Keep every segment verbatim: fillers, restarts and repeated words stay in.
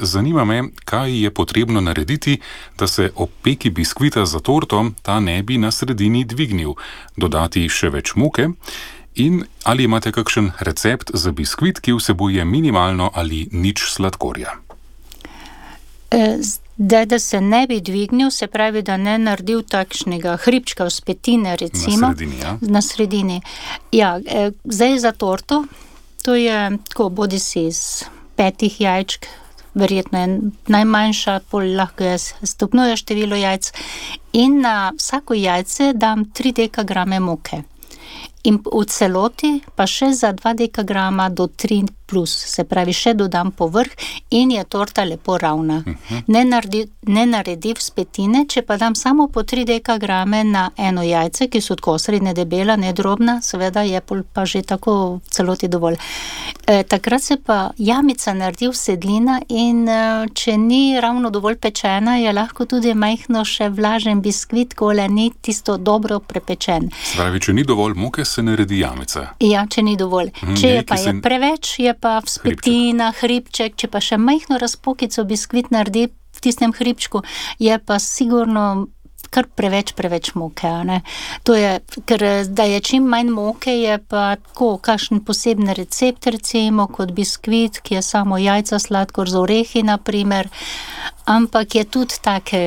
Zanima me, kaj je potrebno narediti, da se ob peki biskvita za torto ta ne bi na sredini dvignil, dodati še več moke in ali imate kakšen recept za biskvit, ki vsebuje minimalno ali nič sladkorja. Da, da se ne bi dvignil, se pravi, da ne naredil takšnega hribčka vzpetine, recimo. Na sredini, ja. Na sredini. Ja, zdaj za torto, to je tako, bodi si iz petih jajčk, verjetno je najmanjša, pol lahko je stopnjuje število jajc in na vsako jajce dam tri dekagrame moke. In v celoti pa še za dva dekagrama do tri plus, se pravi, še dodam povrh in je torta lepo ravna. Uh-huh. Ne naredi, ne naredi vzpetine, če pa dam samo po tri dekagrame na eno jajce, ki so tako srednje debela, ne drobna, seveda je pa že tako v celoti dovolj. E, takrat se pa jamica naredi vsedlina in e, če ni ravno dovolj pečena, je lahko tudi majhno še vlažen biskvit, kole ni tisto dobro prepečen. Se pravi, če ni dovolj moke, se naredi jamica. Ja, če ni dovolj. Hmm, če je pa je se... preveč, je pa vzpetina, hribček, če pa še majhno razpokico biskvit naredi v tistem hribčku, je pa sigurno kar preveč, preveč moke, ne. To je, ker da je čim manj moke, je pa tako, kakšen poseben recept, recimo, kot biskvit, ki je samo jajca, sladkor z orehi, na primer, ampak je tudi take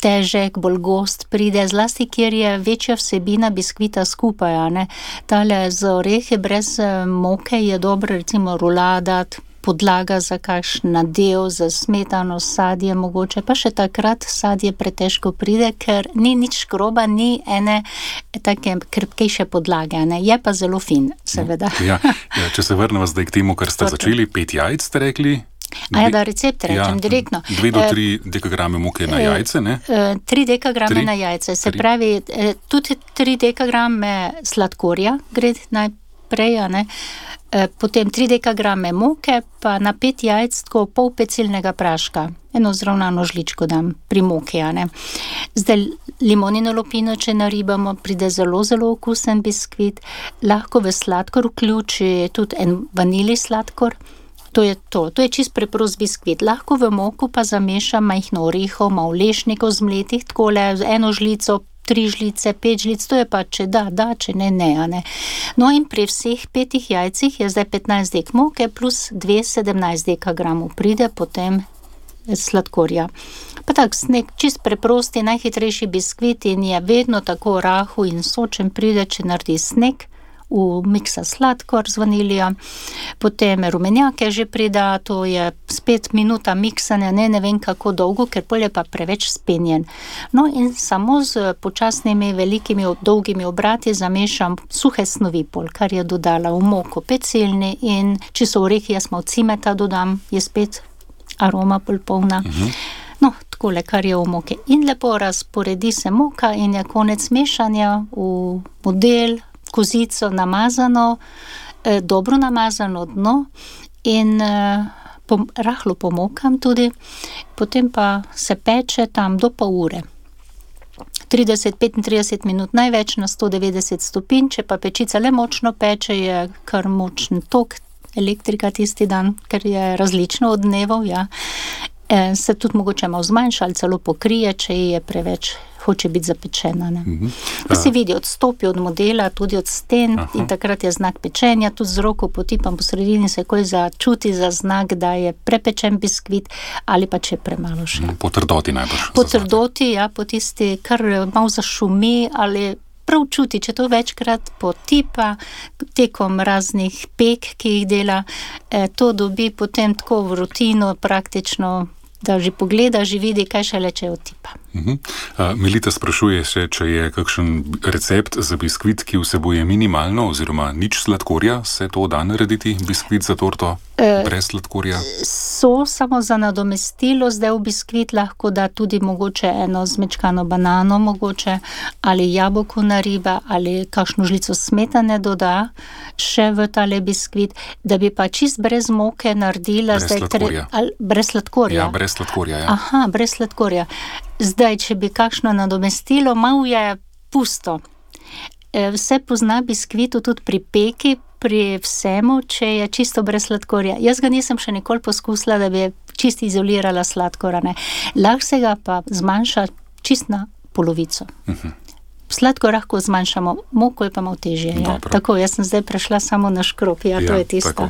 težek, bolj gost pride, zlasti, kjer je večja vsebina biskvita skupaj, ne. Tale z orehe brez moke je dobro, recimo, rulada, podlaga za kakšen nadev, za smetano, sadje mogoče, pa še takrat sadje pretežko pride, ker ni nič škroba, ni ene take krpkejše podlage, ne. Je pa zelo fin, seveda. Ja, ja, če se vrnemo zdaj k temu, kar ste začeli, pet jajc ste rekli? A ja, da recept rečem, ja, direktno. Dve do tri dekagrame moke na jajce, ne? Tri dekagrame tri? na jajce, se tri. pravi, tudi tri dekagrame sladkorja gre najprej, ne? Potem tri dekagrame moke, pa na pet jajc tako pol pecilnega praška. Eno zravnano žličko dam pri moki, ne. Zdaj limonino lupino, če naribamo, pride zelo, zelo okusen biskvit. Lahko v sladkor vključi tudi en vanilij sladkor. To je to, to je čist preprost biskvit. Lahko v moku pa zamešam majhno orehov, malo lešnikov zmletih, takole eno žlico, tri žlice, pet žlic, to je pa, če da, da, če ne, ne, ne. No in pri vseh petih jajcih je zdaj petnajst dek moke plus dve sedemnajst dekagramov pride potem sladkorja. Pa tak, nek čist preprosti, najhitrejši biskvit in je vedno tako rahu in sočen pride, če naredi sneg. V miksa sladkor z vanilija, potem rumenjake že prida, to je spet minuta miksanja, ne, ne vem kako dolgo, ker pol je pa preveč spenjen. No in samo z počasnimi, velikimi, dolgimi obrati zamešam suhe snovi pol, kar je dodala v moko pecilni in če so orehi, jaz malo cimeta dodam, je spet aroma pol polna. Uh-huh. No, takole, kar je v moke. In lepo razporedi se moka in je konec mešanja v model, kozico namazano, eh, dobro namazano dno in eh, pom, rahlo pomokam tudi, potem pa se peče tam do pol ure. trideset do petintrideset minut največ na sto devetdeset stopinj, če pa pečica le močno peče, je kar močen tok elektrika tisti dan, ker je različno od dnevov, ja. Eh, se tudi mogoče malo zmanjša ali celo pokrije, če je preveč hoče biti zapečena, ne. Uh-huh. Pa se vidi, odstopi od modela, tudi od sten. Aha. In takrat je znak pečenja, tudi z roko potipam po sredini, se koj začuti za znak, da je prepečen biskvit ali pa če je premalo še. Po trdoti najbrž. Po trdoti, ja, po tisti, kar malo zašumi ali prav čuti, če to večkrat potipa tekom raznih pek, ki jih dela, eh, to dobi potem tako v rutino praktično, da že pogleda, že vidi, kaj šele, če otipa. Uh-huh. Uh, Milita sprašuje še, če je kakšen recept za biskvit, ki vsebuje minimalno oziroma nič sladkorja, se to da narediti, biskvit za torto uh, brez sladkorja? So samo za nadomestilo, zdaj v biskvit lahko da tudi mogoče eno zmečkano banano mogoče, ali jabolko nariba, ali kakšno žlico smetane doda še v tale biskvit, da bi pa čist brez moke naredila brez zdaj sladkorja. Tre, ali, brez sladkorja. Ja, brez sladkorja, ja. Aha, brez sladkorja. Zdaj, če bi kakšno nadomestilo, malo je pusto. Vse pozna biskvitu tudi pri peki, pri vsemu, če je čisto brez sladkorja. Jaz ga nisem še nikoli poskusila, da bi čisto izolirala sladkora. Ne. Lahko se ga pa zmanjša čist na polovico. Uh-huh. Sladkor lahko zmanjšamo, moko je pa malo težje. Ja. Tako, jaz sem zdaj prešla samo na škrop, ja, ja to je tisto. Tako.